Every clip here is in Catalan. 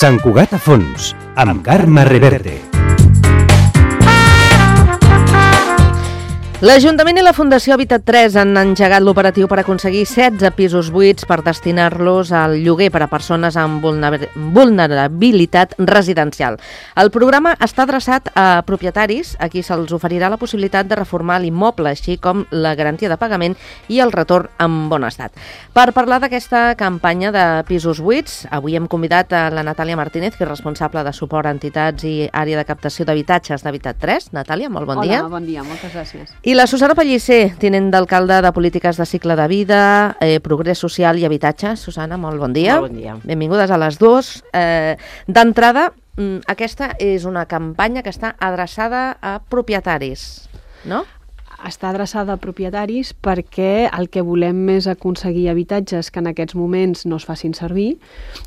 Sant Cugat a fons, amb Carme Reverte. L'Ajuntament i la Fundació Habitat 3 han engegat l'operatiu per aconseguir 16 pisos buits per destinar-los al lloguer per a persones amb vulnerabilitat residencial. El programa està adreçat a propietaris a qui se'ls oferirà la possibilitat de reformar l'immoble, així com la garantia de pagament i el retorn en bon estat. Per parlar d'aquesta campanya de pisos buits, avui hem convidat a la Natàlia Martínez, que és responsable de suport a entitats i àrea de captació d'habitatges d'Habitat 3. Natàlia, molt bon dia. Hola, bon dia, moltes gràcies. I la Susana Pellicer, tinent d'alcalde de Polítiques de Cicle de Vida, Progrés Social i Habitatge. Susana, molt bon dia. Molt bon dia. Benvingudes a les dues. D'entrada, aquesta és una campanya que està adreçada a propietaris, no? Està adreçada a propietaris perquè el que volem és aconseguir habitatges que en aquests moments no es facin servir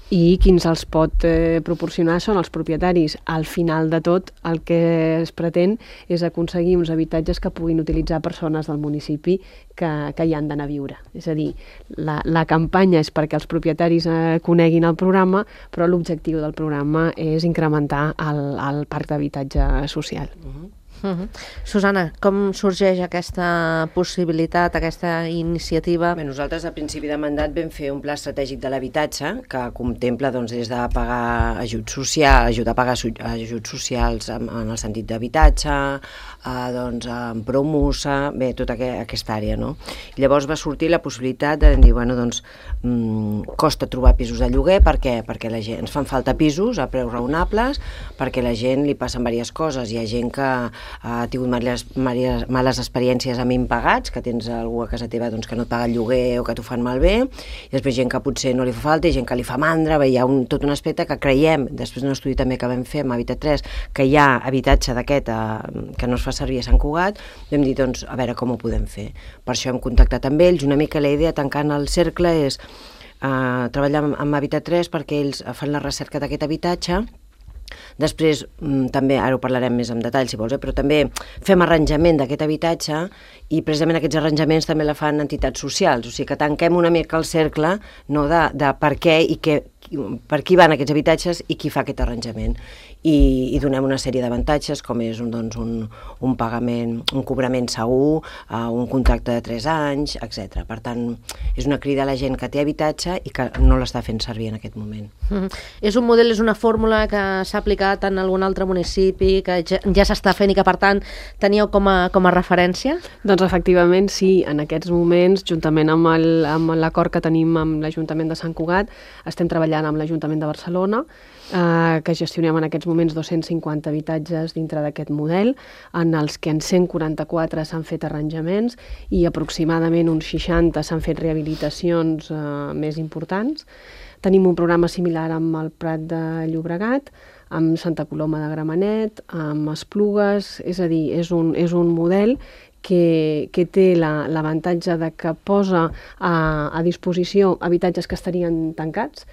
i qui ens els pot proporcionar són els propietaris. Al final de tot, el que es pretén és aconseguir uns habitatges que puguin utilitzar persones del municipi que hi han d'anar a viure. És a dir, la campanya és perquè els propietaris coneguin el programa, però l'objectiu del programa és incrementar el parc d'habitatge social. Susana, com sorgeix aquesta possibilitat, aquesta iniciativa? Bé, nosaltres a principi de mandat vam fer un pla estratègic de l'habitatge que contempla des de pagar ajudar a pagar ajuts socials en el sentit d'habitatge, en promusa, bé, tota aquesta àrea, no? I llavors va sortir la possibilitat de dir, costa trobar pisos de lloguer perquè la gent, ens fan falta pisos a preus raonables, perquè la gent li passen diverses coses. Hi ha gent que ha tingut males experiències amb impagats, que tens algú a casa teva que no et paga el lloguer o que t'ho fan malbé, i després gent que potser no li fa falta i gent que li fa mandra. Hi ha tot un aspecte que creiem, després d'un estudi també que vam fer amb Habitat 3, que hi ha habitatge d'aquest que no es fa servir a Sant Cugat. Vam dir, a veure com ho podem fer. Per això hem contactat amb ells. Una mica la idea, tancant el cercle, és treballar amb Habitat 3 perquè ells fan la recerca d'aquest habitatge. Després, també, ara ho parlarem més en detall si vols, però també fem arranjament d'aquest habitatge i precisament aquests arranjaments també la fan entitats socials, o sigui que tanquem una mica el cercle, no, de per què i per qui van aquests habitatges i qui fa aquest arranjament. I donem una sèrie d'avantatges com és un pagament, un cobrament segur, un contracte de 3 anys, etc. Per tant, és una crida a la gent que té habitatge i que no l'està fent servir en aquest moment. És un model, és una fórmula que s'ha aplicat en algun altre municipi, que ja s'està fent i que per tant teníeu com a referència? Doncs efectivament sí, en aquests moments, juntament amb l'acord que tenim amb l'Ajuntament de Sant Cugat, estem treballant amb l'Ajuntament de Barcelona, que gestionem en aquests moments 250 habitatges dintre d'aquest model, en els que en 144 s'han fet arranjaments i aproximadament uns 60 s'han fet rehabilitacions més importants. Tenim un programa similar amb el Prat de Llobregat, amb Santa Coloma de Gramenet, amb Esplugues, és a dir, és un model que té l'avantatge de que posa a disposició habitatges que estarien tancats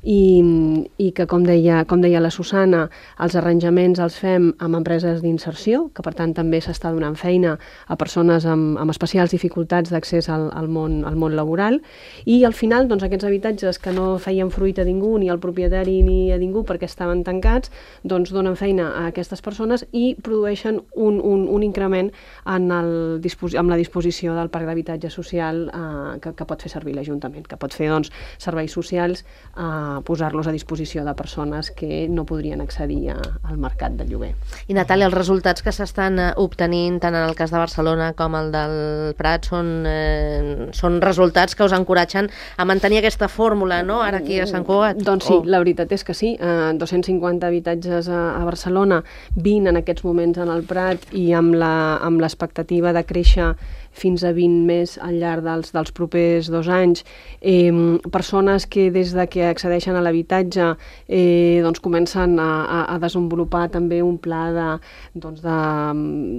i que, com deia la Susana, els arranjaments els fem amb empreses d'inserció, que per tant també s'està donant feina a persones amb especials dificultats d'accés al món laboral, i al final aquests habitatges que no feien fruit a ningú, ni al propietari ni a ningú perquè estaven tancats, donen feina a aquestes persones i produeixen un increment amb la disposició del parc d'habitatge social que pot fer servir l'Ajuntament, que pot fer serveis socials, posar-los a disposició de persones que no podrien accedir al mercat de lloguer. I Natàlia, els resultats que s'estan obtenint tant en el cas de Barcelona com el del Prat són resultats que us encoratgen a mantenir aquesta fórmula, no?, ara aquí a Sant Cugat? Doncs sí, la veritat és que sí. 250 habitatges a Barcelona, 20 en aquests moments en el Prat i amb l'expectativa de créixer fins a 20 més al llarg dels propers 2 anys. Persones que des de que accedeixen a l'habitatge comencen a desenvolupar també un pla de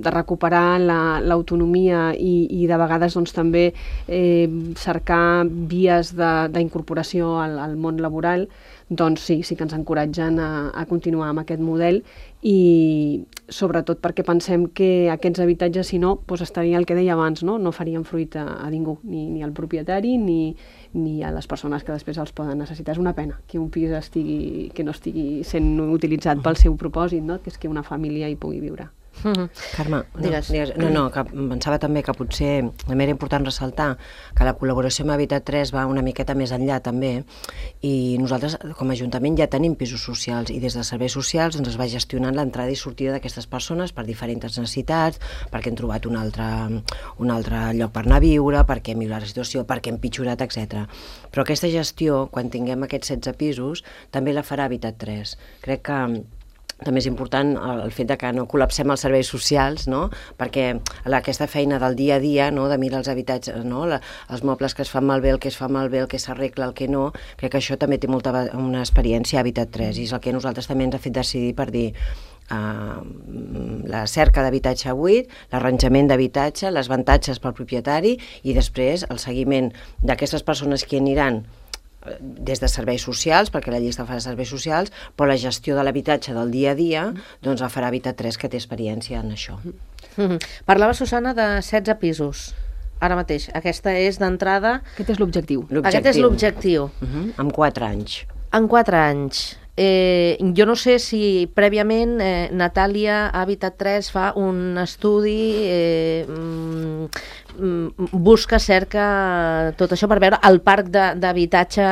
recuperar l'autonomia i de vegades també cercar vies d'incorporació al món laboral. doncs sí que ens encoratgen a continuar amb aquest model, i sobretot perquè pensem que aquests habitatges, si no, doncs estaria el que deia abans, no farien fruit a ningú, ni al propietari ni a les persones que després els poden necessitar. És una pena que un pis que no estigui sent utilitzat pel seu propòsit, no? Que és que una família hi pugui viure. Carme, Digues. que pensava també que potser també era important ressaltar que la col·laboració amb Habitat 3 va una miqueta més enllà també, i nosaltres com a Ajuntament ja tenim pisos socials, i des de serveis socials es va gestionant l'entrada i sortida d'aquestes persones per diferents necessitats, perquè han trobat un altre lloc per anar a viure, perquè hem millorat la situació, perquè hem pitjorat, etc. Però aquesta gestió, quan tinguem aquests 16 pisos, també la farà Habitat 3. Crec que també és important el fet de que no col·lapsem els serveis socials, no? Perquè aquesta feina del dia a dia, no? De mirar els habitatges, no? Els mobles que es fan malbé, el que es fa malbé, el que s'arregla, el que no, crec que això també té una experiència a Habitat 3, i és el que nosaltres també ens ha fet decidir per dir la cerca d'habitatge buit, l'arranjament d'habitatge, les avantatges pel propietari, i després el seguiment d'aquestes persones que aniran des de serveis socials, perquè la llista fa de serveis socials, però la gestió de l'habitatge del dia a dia doncs la farà Habitat 3, que té experiència en això. Parlava, Susana, de 16 pisos. Ara mateix, aquesta és d'entrada... Aquest és l'objectiu. Aquest és l'objectiu. En 4 anys. En 4 anys. Jo no sé si prèviament Natàlia Habitat 3 fa un estudi, busca, cerca tot això per veure el parc d'habitatge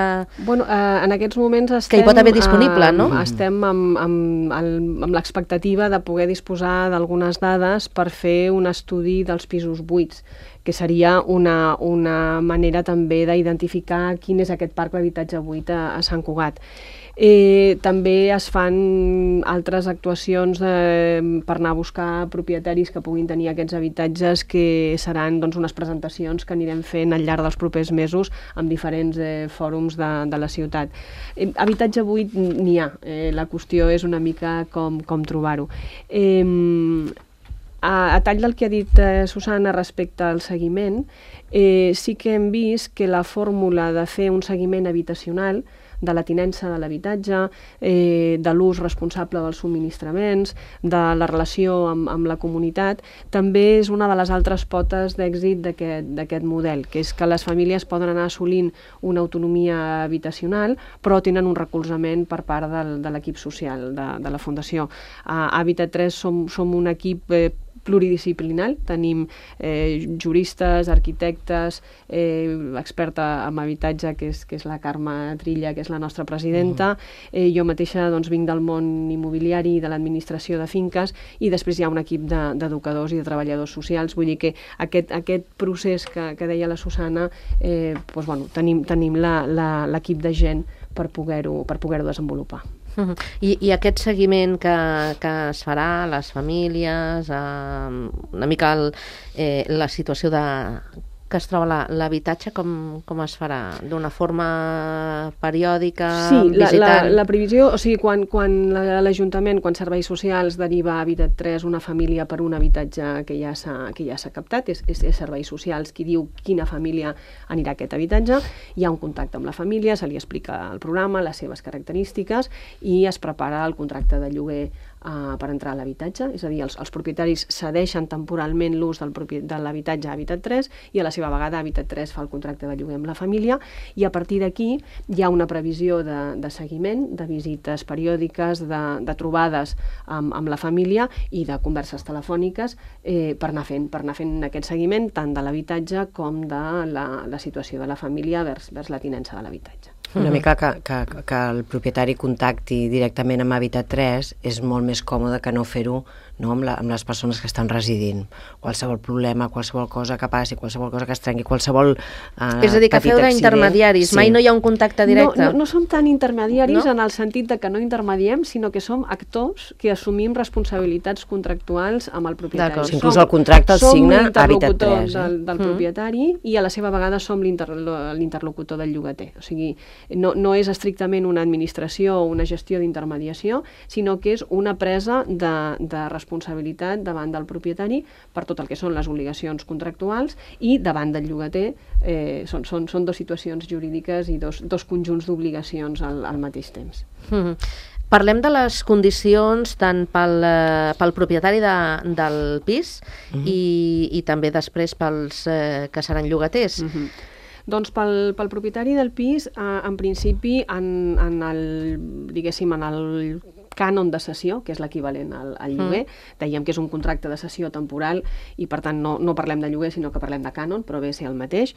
en aquests moments estem, que hi pot haver disponible, no? Estem amb l'expectativa de poder disposar d'algunes dades per fer un estudi dels pisos buits, que seria una manera també d'identificar quin és aquest parc d'habitatge buit a Sant Cugat. També es fan altres actuacions per anar a buscar propietaris que puguin tenir aquests habitatges, que seran unes presentacions que anirem fent al llarg dels propers mesos amb diferents fòrums de la ciutat. Habitatge buit n'hi ha, la qüestió és una mica com trobar-ho. A tall del que ha dit Susana respecte al seguiment, sí que hem vist que la fórmula de fer un seguiment habitacional, de la tinença de l'habitatge, de l'ús responsable dels subministraments, de la relació amb la comunitat, també és una de les altres potes d'èxit d'aquest model, que és que les famílies poden anar assolint una autonomia habitacional, però tenen un recolzament per part de l'equip social de la Fundació. A Habitat 3 som un equip pluridisciplinari, tenim juristes, arquitectes, experta en habitatge, que és la Carme Trilla, que és la nostra presidenta, jo mateixa vinc del món immobiliari i de l'administració de finques, i després hi ha un equip d'educadors i de treballadors socials. Vull dir que aquest procés que deia la Susana, tenim l'equip de gent per poder-ho desenvolupar. I aquest seguiment que es farà a les famílies, una mica la situació que es troba l'habitatge, com es farà? D'una forma periòdica, visitant? Sí, la previsió, o sigui, quan l'Ajuntament, quan Serveis Socials deriva a Habitat 3 una família per un habitatge que ja s'ha captat, és Serveis Socials qui diu quina família anirà a aquest habitatge, hi ha un contacte amb la família, se li explica el programa, les seves característiques, i es prepara el contracte de lloguer per entrar a l'habitatge, és a dir, els propietaris cedeixen temporalment l'ús de l'habitatge a Habitat 3, i a la seva vegada Habitat 3 fa el contracte de lloguer amb la família, i a partir d'aquí hi ha una previsió de seguiment, de visites periòdiques, de trobades amb la família i de converses telefòniques per anar fent aquest seguiment tant de l'habitatge com de la situació de la família vers la tinença de l'habitatge. Una mica que el propietari contacti directament amb Habitat 3 és molt més còmode que no fer-ho amb les persones que estan residint. Qualsevol problema, qualsevol cosa que passi, qualsevol cosa que es trenqui, qualsevol és a dir, que feu d'intermediaris, sí. Mai no hi ha un contacte directe? No som tan intermediaris en el sentit que no intermediem, sinó que som actors que assumim responsabilitats contractuals amb el propietari. Inclús el contracte el signa Habitat 3. Som l'interlocutor del propietari, i a la seva vegada som l'interlocutor del llogater. O sigui, no és estrictament una administració o una gestió d'intermediació, sinó que és una presa de responsabilitat responsabilitat davant del propietari per tot el que són les obligacions contractuals i davant del llogater. Són dues situacions jurídiques i dos conjunts d'obligacions al mateix temps. Parlem de les condicions tant pel propietari del pis i també després pels que seran llogaters. Doncs pel propietari del pis, en principi, en el cànon de cessió, que és l'equivalent al lloguer, dèiem que és un contracte de cessió temporal i per tant no parlem de lloguer sinó que parlem de cànon, però ve a ser el mateix.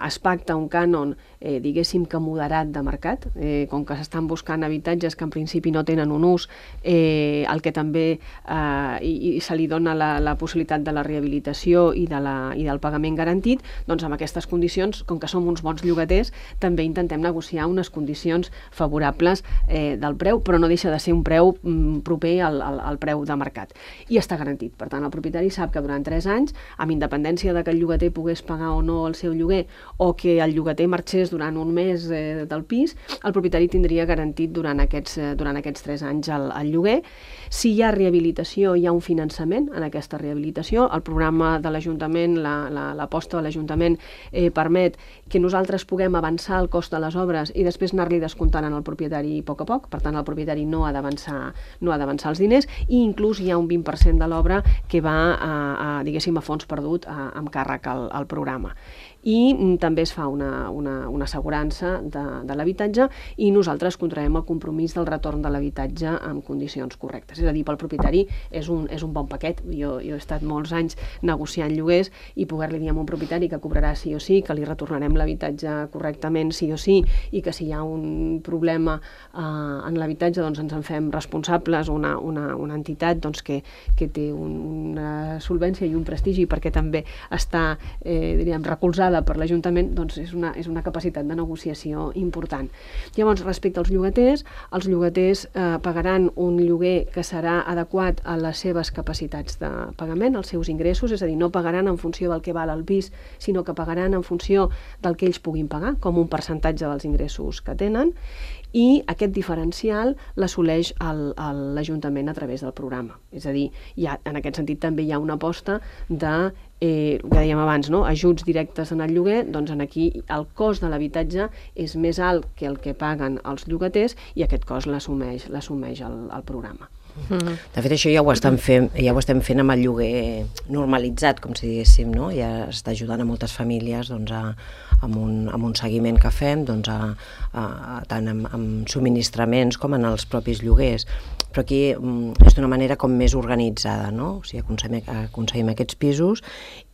Es pacta un cànon, diguéssim que moderat de mercat, com que s'estan buscant habitatges que en principi no tenen un ús, el que també se li dona la possibilitat de la rehabilitació i del pagament garantit, doncs amb aquestes condicions, com que som uns bons llogaters, també intentem negociar unes condicions favorables del preu, però no deixa de ser un preu proper al preu de mercat. I està garantit. Per tant, el propietari sap que durant 3 anys, amb independència de que el llogater pogués pagar o no el seu lloguer o que el llogater marxés durant un mes del pis, el propietari tindria garantit durant aquests 3 anys el lloguer. Si hi ha rehabilitació, hi ha un finançament en aquesta rehabilitació. El programa de l'Ajuntament, l'aposta de l'Ajuntament permet que nosaltres puguem avançar el cost de les obres i després anar-li descomptant al propietari a poc. Per tant, el propietari no ha d'avançar els diners i inclús hi ha un 20% de l'obra que va diguéssim, a fons perdut amb càrrec al programa. I també es fa una assegurança de l'habitatge i nosaltres contraiem el compromís del retorn de l'habitatge en condicions correctes. És a dir, pel propietari és un bon paquet. Jo he estat molts anys negociant lloguers i poder-li dir a un propietari que cobrarà sí o sí, que li retornarem l'habitatge correctament sí o sí i que si hi ha un problema en l'habitatge doncs ens en fem responsables, una entitat doncs, que té una solvència i un prestigi perquè també està recolzada per l'Ajuntament, doncs és una capacitat de negociació important. Llavors, respecte als llogaters pagaran un lloguer que serà adequat a les seves capacitats de pagament, als seus ingressos, és a dir, no pagaran en funció del que val el pis, sinó que pagaran en funció del que ells puguin pagar, com un percentatge dels ingressos que tenen, i aquest diferencial l'assoleix l'Ajuntament a través del programa. És a dir, en aquest sentit també hi ha una aposta de el que dèiem abans, ajuts directes en el lloguer, doncs aquí el cost de l'habitatge és més alt que el que paguen els llogaters i aquest cost l'assumeix el programa. De fet, això ja ho estem fent amb el lloguer normalitzat, com si diguéssim, no? Ja està ajudant a moltes famílies amb un seguiment que fem, tant amb subministraments com en els propis lloguers. Però aquí és d'una manera com més organitzada, no? O sigui, aconseguim aquests pisos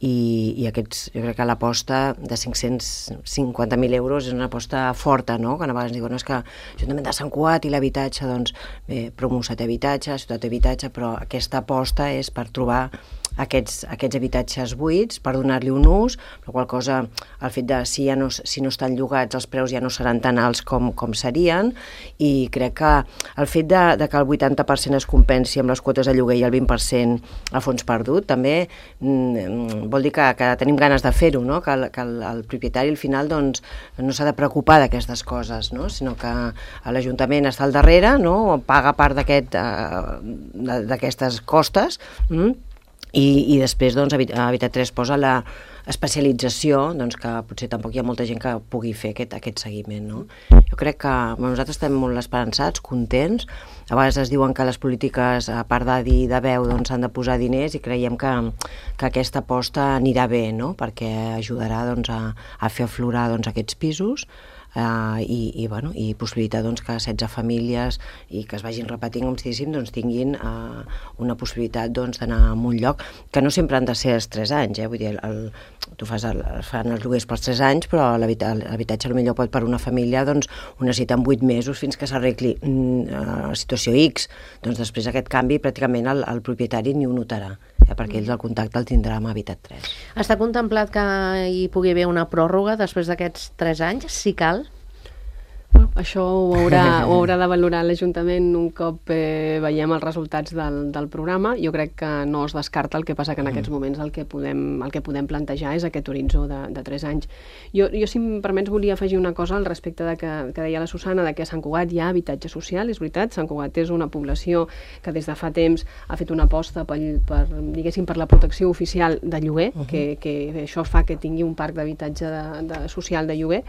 i aquests, jo crec que l'aposta de 550.000 euros és una aposta forta, no? Quan a vegades diuen és que l'Ajuntament de Sant Cugat i l'habitatge, doncs bé, Promusa té habitatge, Ciutat té habitatge, però aquesta aposta és per trobar aquests habitatges buits per donar-li un ús, la qual cosa, el fet de si no estan llogats els preus ja no seran tan alts com serien, i crec que el fet de que el 80% es compensi amb les quotes de lloguer i el 20% a fons perdut, també vol dir que tenim ganes de fer-ho, no? Que el propietari al final doncs, no s'ha de preocupar d'aquestes coses, no? Sinó que l'Ajuntament està al darrere, no? Paga part d'aquestes costes, i després doncs, Habitat 3 posa la especialització, doncs, que potser tampoc hi ha molta gent que pugui fer aquest seguiment, no? Jo crec que nosaltres estem molt esperançats, contents. A vegades es diuen que les polítiques, a part de dir de veu, doncs, han de posar diners i creiem que aquesta aposta anirà bé, no? Perquè ajudarà doncs, a fer aflorar doncs, aquests pisos i possibilitar doncs, que 16 famílies i que es vagin repetint, com si diguéssim, doncs, tinguin una possibilitat doncs, d'anar a un lloc, que no sempre han de ser els 3 anys, vull dir, tu fan els lloguers pels 3 anys, però l'habitatge potser pot per una família doncs, ho necessita en 8 mesos fins que s'arregli la situació X, doncs després aquest canvi pràcticament el propietari ni ho notarà, perquè ells el contacte el tindrà amb Habitat 3. Està contemplat que hi pugui haver una pròrroga després d'aquests 3 anys, si cal? això ho haurà de valorar l'Ajuntament un cop veiem els resultats del programa. Jo crec que no es descarta, el que passa que en aquests moments el que podem plantejar és aquest horitzó de 3 anys. Jo, si em permets, volia afegir una cosa al respecte de que deia la Susana, de que a Sant Cugat hi ha habitatge social, és veritat. Sant Cugat és una població que des de fa temps ha fet una aposta per la protecció oficial de lloguer, que això fa que tingui un parc d'habitatge social de lloguer,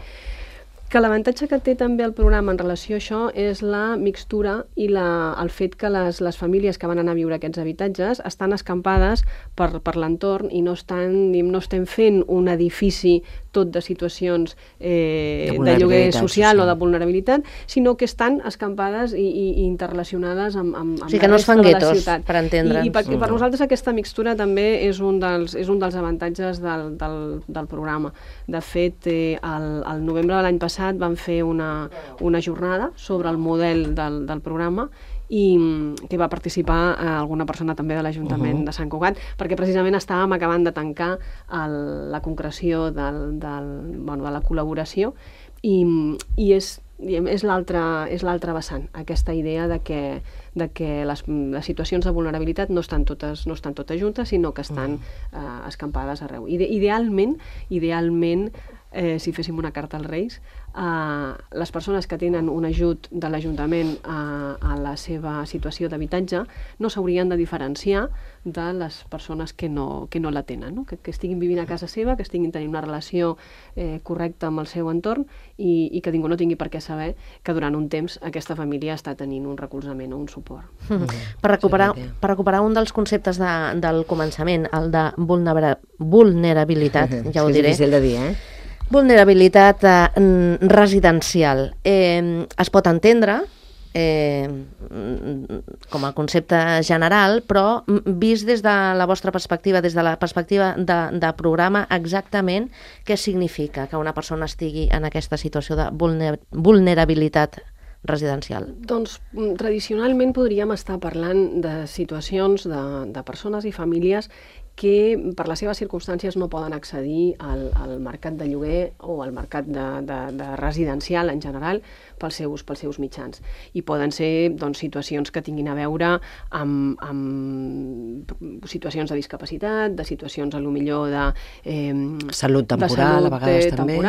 que l'avantatge que té també el programa en relació a això és la mixtura i el fet que les famílies que van anar a viure a aquests habitatges estan escampades per l'entorn i no estem fent un edifici tot de situacions de lloguer social o de vulnerabilitat, sinó que estan escampades i interrelacionades amb o sigui que no es fan guetos, per entendre'ns. I per nosaltres aquesta mixtura també és un dels avantatges del programa. De fet, al novembre de l'any passat vam fer una jornada sobre el model del programa i que va participar alguna persona també de l'Ajuntament de Sant Cugat, perquè precisament estàvem acabant de tancar la concreció de la col·laboració i és l'altra vessant, aquesta idea de que les situacions de vulnerabilitat no estan totes juntes, sinó que estan escampades arreu. Idealment, si féssim una carta als Reis, les persones que tenen un ajut de l'Ajuntament a la seva situació d'habitatge no s'haurien de diferenciar de les persones que no la tenen, no? Que estiguin vivint a casa seva, que estiguin tenint una relació correcta amb el seu entorn i que ningú no tingui per què saber que durant un temps aquesta família està tenint un recolzament o un suport. Per recuperar un dels conceptes del començament, el de vulnerabilitat, ja ho diré. És difícil de dir, Vulnerabilitat residencial. Es pot entendre com a concepte general, però vist des de la vostra perspectiva, des de la perspectiva de programa, exactament què significa que una persona estigui en aquesta situació de vulnerabilitat residencial? Doncs tradicionalment podríem estar parlant de situacions de persones i famílies que per les seves circumstàncies no poden accedir al mercat de lloguer o al mercat de residencial en general pels seus mitjans. I poden ser situacions que tinguin a veure amb situacions de discapacitat, de situacions millor de salut temporal, a vegades també.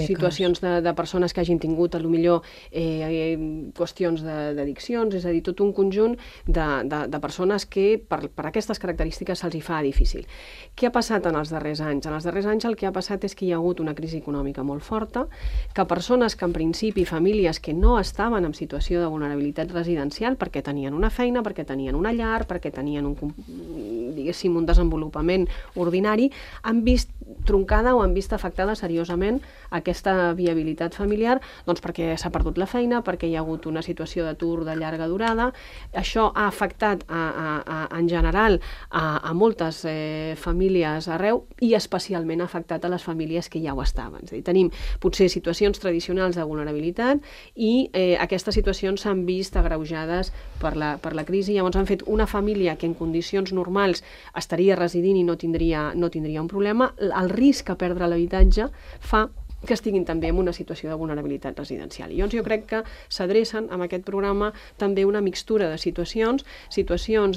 Situacions de persones que hagin tingut millor qüestions d'addiccions, és a dir, tot un conjunt de persones que per aquestes característiques se'ls hi fa difícil. Què ha passat en els darrers anys? En els darrers anys el que ha passat és que hi ha hagut una crisi econòmica molt forta, que persones que en principi, famílies que no estaven en situació de vulnerabilitat residencial perquè tenien una feina, perquè tenien una llar, perquè tenien un desenvolupament ordinari, han vist troncada o han vist afectada seriosament aquesta viabilitat familiar, doncs perquè s'ha perdut la feina, perquè hi ha hagut una situació d'atur de llarga durada. Això ha afectat en general a moltes famílies arreu i especialment ha afectat a les famílies que ja ho estaven. És a dir, tenim potser situacions tradicionals de vulnerabilitat i aquestes situacions s'han vist agreujades per la crisi. Llavors han fet una família que en condicions normals estaria residint i no tindria un problema. El risc a perdre l'habitatge fa que estiguin també en una situació de vulnerabilitat residencial. I llavors jo crec que s'adrecen amb aquest programa també una mixtura de situacions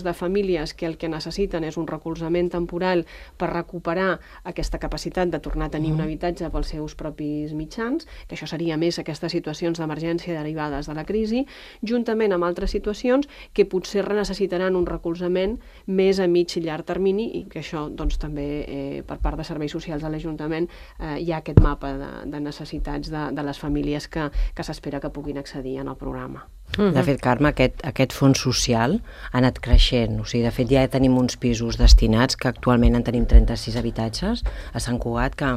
de famílies que el que necessiten és un recolzament temporal per recuperar aquesta capacitat de tornar a tenir un habitatge pels seus propis mitjans, que això seria més aquestes situacions d'emergència derivades de la crisi, juntament amb altres situacions que potser necessitaran un recolzament més a mig i llarg termini i que això doncs, també per part de serveis socials de l'Ajuntament hi ha aquest mapa de necessitats de les famílies que s'espera que puguin accedir en el programa. De fet, Carme, aquest fons social ha anat creixent. O sigui, de fet, ja tenim uns pisos destinats, que actualment en tenim 36 habitatges a Sant Cugat, que,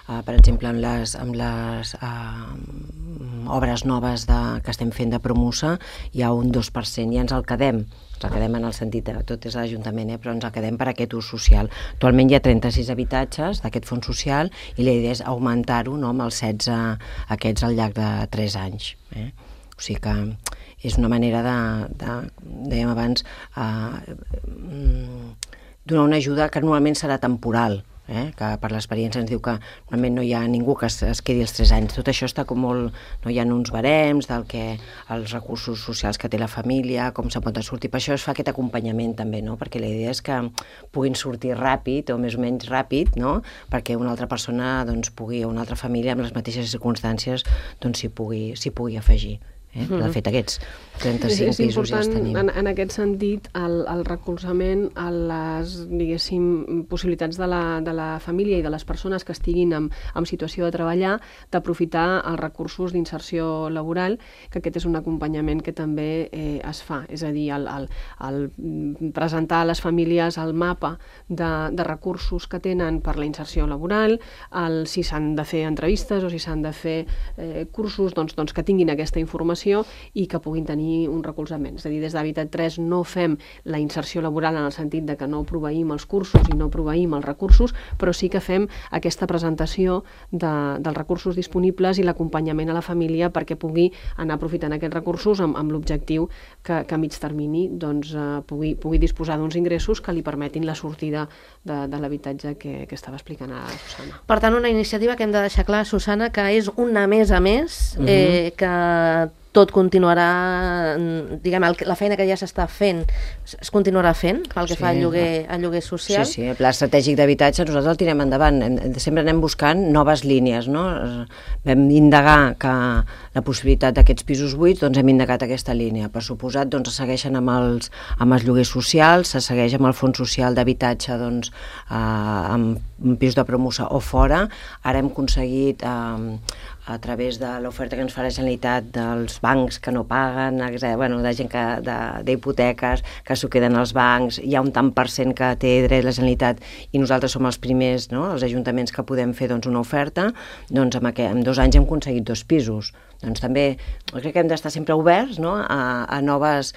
per exemple, amb les obres noves que estem fent de Promusa, hi ha un 2%, i ens el quedem. Ens el quedem en el sentit de tot és l'Ajuntament, però ens el quedem per aquest ús social. Actualment hi ha 36 habitatges d'aquest fons social i la idea és augmentar-ho amb els 16 aquests al llarg de 3 anys. O sigui que és una manera dèiem abans, donar una ajuda que normalment serà temporal, que per l'experiència ens diu que normalment no hi ha ningú que es quedi els 3 anys. Tot això està com molt... No hi ha uns barems del que els recursos socials que té la família, com se'n pot sortir. Per això es fa aquest acompanyament també, no? Perquè la idea és que puguin sortir ràpid o més o menys ràpid, no? Perquè una altra persona pugui, o una altra família amb les mateixes circumstàncies s'hi pugui afegir. De fet, aquests 35 pisos ja els tenim. És important, en aquest sentit, el recolzament a les, diguéssim, possibilitats de la família i de les persones que estiguin en situació de treballar, d'aprofitar els recursos d'inserció laboral, que aquest és un acompanyament que també es fa. És a dir, el presentar a les famílies el mapa de recursos que tenen per la inserció laboral, si s'han de fer entrevistes o si s'han de fer cursos, doncs que tinguin aquesta informació i que puguin tenir un recolzament. És a dir, des d'Habitat 3 no fem la inserció laboral en el sentit de que no proveïm els cursos i no proveïm els recursos, però sí que fem aquesta presentació dels recursos disponibles i l'acompanyament a la família perquè pugui anar aprofitant aquests recursos amb l'objectiu que a mig termini pugui disposar d'uns ingressos que li permetin la sortida de l'habitatge que estava explicant a Susana. Per tant, una iniciativa que hem de deixar clar, Susana, que és una més a més, que tot continuarà, diguem, la feina que ja s'està fent es continuarà fent pel que fa al lloguer social. Sí, el pla estratègic d'habitatge nosaltres el tirem endavant, sempre anem buscant noves línies, no? Vam indagar que la possibilitat d'aquests pisos buits, hem indagat aquesta línia. Per suposat, es segueixen amb els lloguers socials, se segueix amb el fons social d'habitatge amb pisos de promoció o fora. Ara hem aconseguit a través de l'oferta que ens fa la Generalitat dels bancs que no paguen, de gent d'hipoteques que s'ho queden als bancs, hi ha un tant per cent que té dret la Generalitat i nosaltres som els primers, els ajuntaments que podem fer una oferta, en 2 anys hem aconseguit 2 pisos. També crec que hem d'estar sempre oberts a noves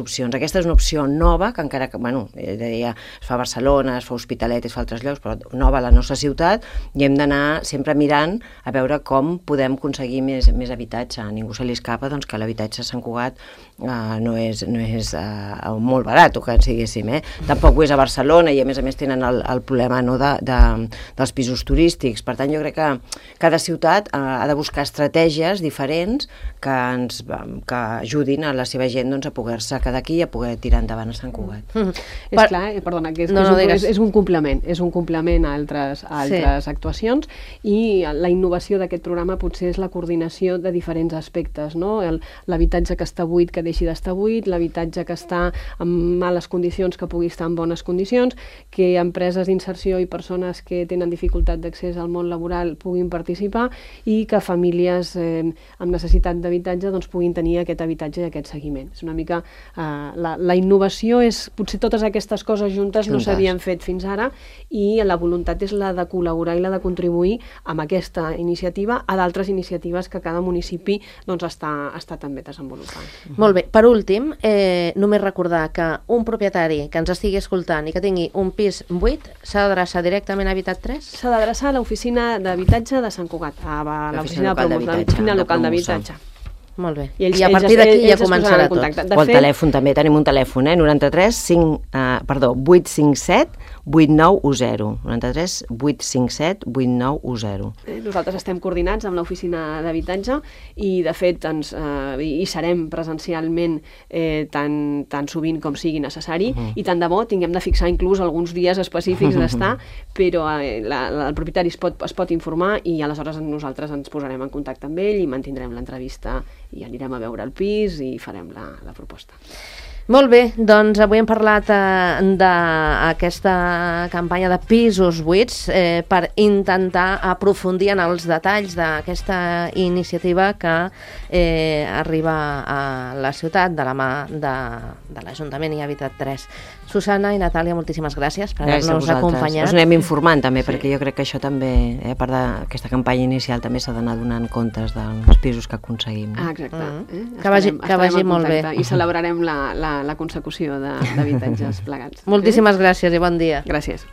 opcions. Aquesta és una opció nova, que encara que, es fa a Barcelona, es fa a Hospitalet, es fa a altres llocs, però nova a la nostra ciutat, i hem d'anar sempre mirant a veure com podem aconseguir més habitatge. A ningú se li escapa que l'habitatge a Sant Cugat no és molt barat, o que diguéssim. Tampoc ho és a Barcelona, i a més tenen el problema dels pisos turístics. Per tant, jo crec que cada ciutat ha de buscar estratègies diferents que ajudin a la seva gent a poder-se quedar aquí i a poder tirar endavant a Sant Cugat. És clar, perdona, que és un complement a altres actuacions, i la innovació d'aquest programa potser és la coordinació de diferents aspectes, no? L'habitatge que està buit que deixi d'estar buit, l'habitatge que està en males condicions que pugui estar en bones condicions, que empreses d'inserció i persones que tenen dificultat d'accés al món laboral puguin participar, i que famílies amb necessitat d'habitatge puguin tenir aquest habitatge i aquest seguiment. És una mica... La innovació és... Potser totes aquestes coses juntes no s'havien fet fins ara, i la voluntat és la de col·laborar i la de contribuir amb aquesta iniciativa a d'altres iniciatives que cada municipi està també desenvolupant. Molt bé. Per últim, només recordar que un propietari que ens estigui escoltant i que tingui un pis buit s'ha d'adreçar directament a Habitat 3? S'ha d'adreçar a l'oficina d'habitatge de Sant Cugat, a l'oficina local d'habitatge. Molt bé. I a partir d'aquí ja començarà tot. O el telèfon també, tenim un telèfon, 857 8910. 93 857 8910. Nosaltres estem coordinats amb l'oficina d'habitatge i, de fet, hi serem presencialment tan sovint com sigui necessari, i tant de bo tinguem de fixar inclús alguns dies específics d'estar, però el propietari es pot informar, i aleshores nosaltres ens posarem en contacte amb ell i mantindrem l'entrevista i anirem a veure el pis i farem la proposta. Molt bé, doncs avui hem parlat d'aquesta campanya de pisos buits per intentar aprofundir en els detalls d'aquesta iniciativa que arriba a la ciutat de la mà de l'Ajuntament i Habitat 3. Susana i Natàlia, moltíssimes gràcies per haver-nos acompanyat. Us anem informant també, perquè jo crec que això també, a part d'aquesta campanya inicial, també s'ha d'anar donant comptes dels pisos que aconseguim. Exacte. Que vagi molt bé. I celebrarem la consecució d'habitatges plegats. Moltíssimes gràcies i bon dia. Gràcies.